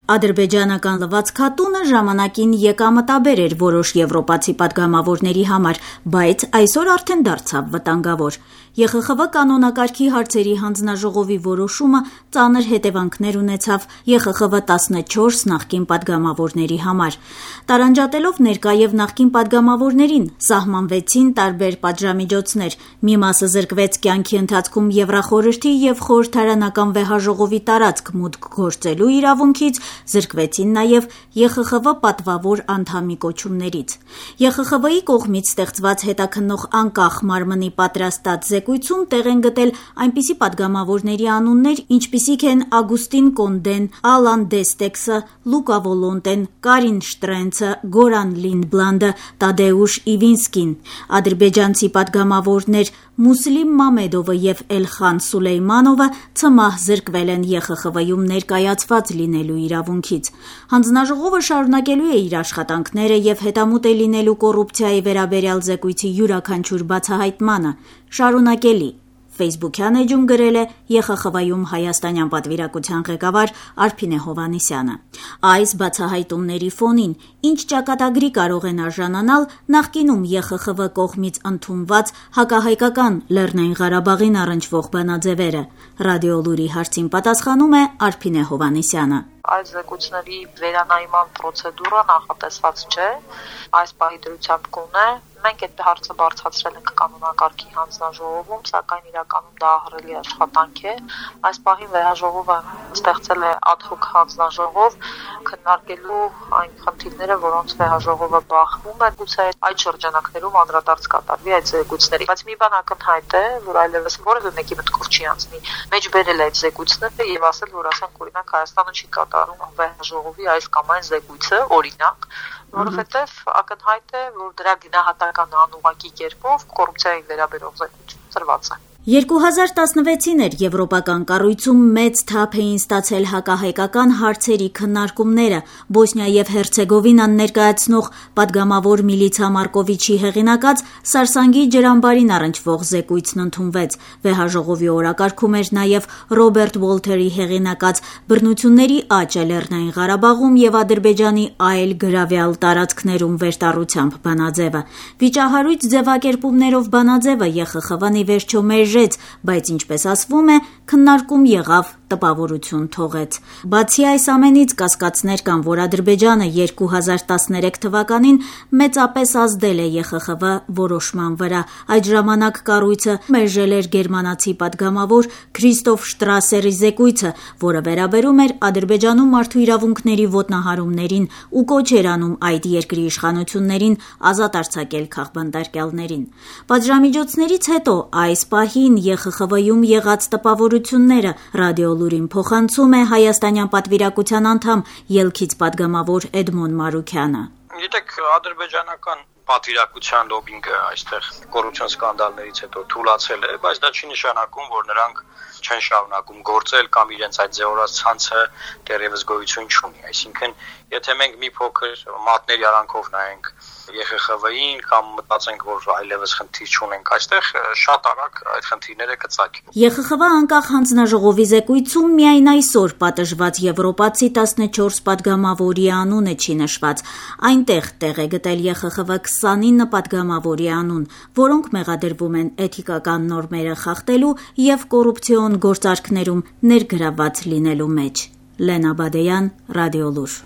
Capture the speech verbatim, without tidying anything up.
Ադրբեջանական լվացքատունը ժամանակին եկամտաբեր էր որոշ եվրոպացի պատգամավորների համար, բայց այսօր արդեն դարձավ վտանգավոր։ Ե Խ Խ V կանոնակարգի հարցերի հանձնաժողովի որոշումը ծանր հետևանքներ ունեցավ Ե Խ Խ V տասնչորս նախկին պատգամավորների համար։ Տարանջատելով ներկա եւ նախկին պատգամավորներին, սահմանվեցին տարբեր պատժամիջոցներ։ Մի մասը զրկվեց կյանքի ընթացքում Եվրախորհրդի եւ խորհրդարանական վեհաժողովի տարածք մուտք գործելու իրավունքից, զրկվեցին նաև Ե Խ Խ V պատվավոր անդամի կոչումներից։ Ե Խ Խ V-ի կողմից ստեղծված հետաքննող անկախ մարմնի պատրաստած զեկույցում տեղ են գտել այնպիսի պատգամավորների անուններ, ինչպիսիք են Ագուստին Կոնդեն, Ալան Դեստեքսը, Լուկա Վոլոնտեն, Կարին Շտրենցը, Գորան Լինդբլանդը, Տադեուշ Իվինսկին։ Ադրբեջանցի պատգամավորներ Մուսլիմ Մամեդովը եւ Էլխան Սուլեյմանովը ցմահ զրկվել են Ե Խ Խ V-ում ներկայացված լինելու իրավունքից։ Հանձնաժողովը շարունակելու է իր աշխատանքները եւ հետամուտ է լինելու կոռուպցիայի վերաբերյալ զեկույցի յուրաքանչյուր բացահայտմանը։ Շարունակելի Facebook-յան էջում գրել է Ե Խ Խ V-ում հայաստանյան պատվիրակության ղեկավար Արփինե Հովհաննիսյանը։ Այս բացահայտումների ֆոնին ինչ ճակատագրի կարող են արժանանալ նախկինում Ե Խ Խ V կողմից ընդունված հակահայկական Լեռնային Ղարաբաղին առնչվող բանաձևերը։ Ռադիոլուրի հարցին պատասխանում է Արփինե Հովհաննիսյանը։ Այս զեկույցների վերանայման պրոցեդուրը նախատեսված չէ, այս պահի դրությամբ կունե։ Մենք այդ հարցը բարձրացրել ենք կանոնակարգի հանձնաժողովում, սակայն իրականում դա ահռելի աշխատանք է։ Այս պահին վեհաժողովը ստեղծել է ad hoc հանձնաժողով քննարկելու այն խնդիրները, որոնց վեհաժողովը բախվում է, գուցե այդ շրջանակներում անդրադարձ կատարվի այդ զեկույցների։ Բայց մի բան ակնհայտ է, որ այլևս որևէ մեկի մտքով չի անցնի մեջբերել այդ զեկույցները եւ ասել, որ ասենք օրինակ Հայաստանը չի կատարում վեհաժողովի այս կամ այն զեկույցը, օրինակ, որովհետեւ ակնհայտ է, որ դրա գնահատական անուղղակի կերպով կոռուպցիայի վերաբերող զեկույցը ծրված է։ երկու հազար տասնվեցին էր եվրոպական կառույցում մեծ թափ էին ստացել հակահայկական հարցերի քննարկումները։ Բոսնիա եւ Հերցեգովինան ներկայացնող պատգամավոր Միլիցա Մարկովիչի հեղինակած Սարսանգի ջրամբարին առնչվող զեկույցն ընդունվեց։ Վեհաժողովի օրակարգում էր նաեւ Ռոբերտ Ուոլթերի հեղինակած Բռնությունների աճը Լեռնային Ղարաբաղում եւ Ադրբեջանի այլ գրավյալ տարածքներում վերտառությամբ բանաձևը։ Վիճահարույց ձևակերպումներով բանաձևը Ե Խ Խ V-ն ի վերջո մերժեց, բայց ինչպես ասվում է, քննարկում եղավ, տպավորություն թողեց։ Բացի այս ամենից կասկածներ կան, որ Ադրբեջանը երկու հազար տասներեք թվականին մեծապես ազդել է Ե Խ Խ V որոշման վրա։ Այդ ժամանակ կառույցը մերժել էր գերմանացի պատգամավոր Քրիստոֆ Շտրասերի զեկույցը, որը վերաբերում էր Ադրբեջանում մարդու իրավունքների ոտնահարումներին ու կոչ էր անում այդ երկրի իշխանություններին ազատ արձակել քաղբանտարկյալներին։ Պատժամիջոցներից հետո այս պահին Ե Խ Խ V-ում եղած տպավորությունները Ռադիոլուրին փոխանցում է հայաստանյան պատվիրակության անդամ ելքից պատգամավոր Էդմոն Մարուքյանը։ Գիտեք, ադրբեջանական պատվիրակության լոբինգը այստեղ կոռուպցիոն սկանդալներից հետո թուլացել է, բայց դա չի նշանակում, որ նրանք չեն շարունակում գործել կամ իրենց այդ ձևորած ցանցը դեռևս գոյություն չունի։ Այսինքն, եթե մենք մի փոքր մատների արանքով նայենք Ե Խ Խ V-ին կամ մտածենք, որ այլևս խնդիր չունենք այստեղ, շատ արագ այդ խնդիրները կծագեն։ Ե Խ Խ V անկախ հանձնաժողովի զեկույցում միայն այսօր պատժված եվրոպացի տասնչորս պատգամավորի անունը չի նշված։ Այնտեղ տեղ է գտել Ե Խ Խ V քսանինը պատգամավորի անուն, որոնք մեղադրվում են էթիկական նորմերը խախտելու եւ կոռուպցիոն գործարքներում ներգրավված լինելու մեջ։ Լենա Բադեյան, Ռադիոլուր։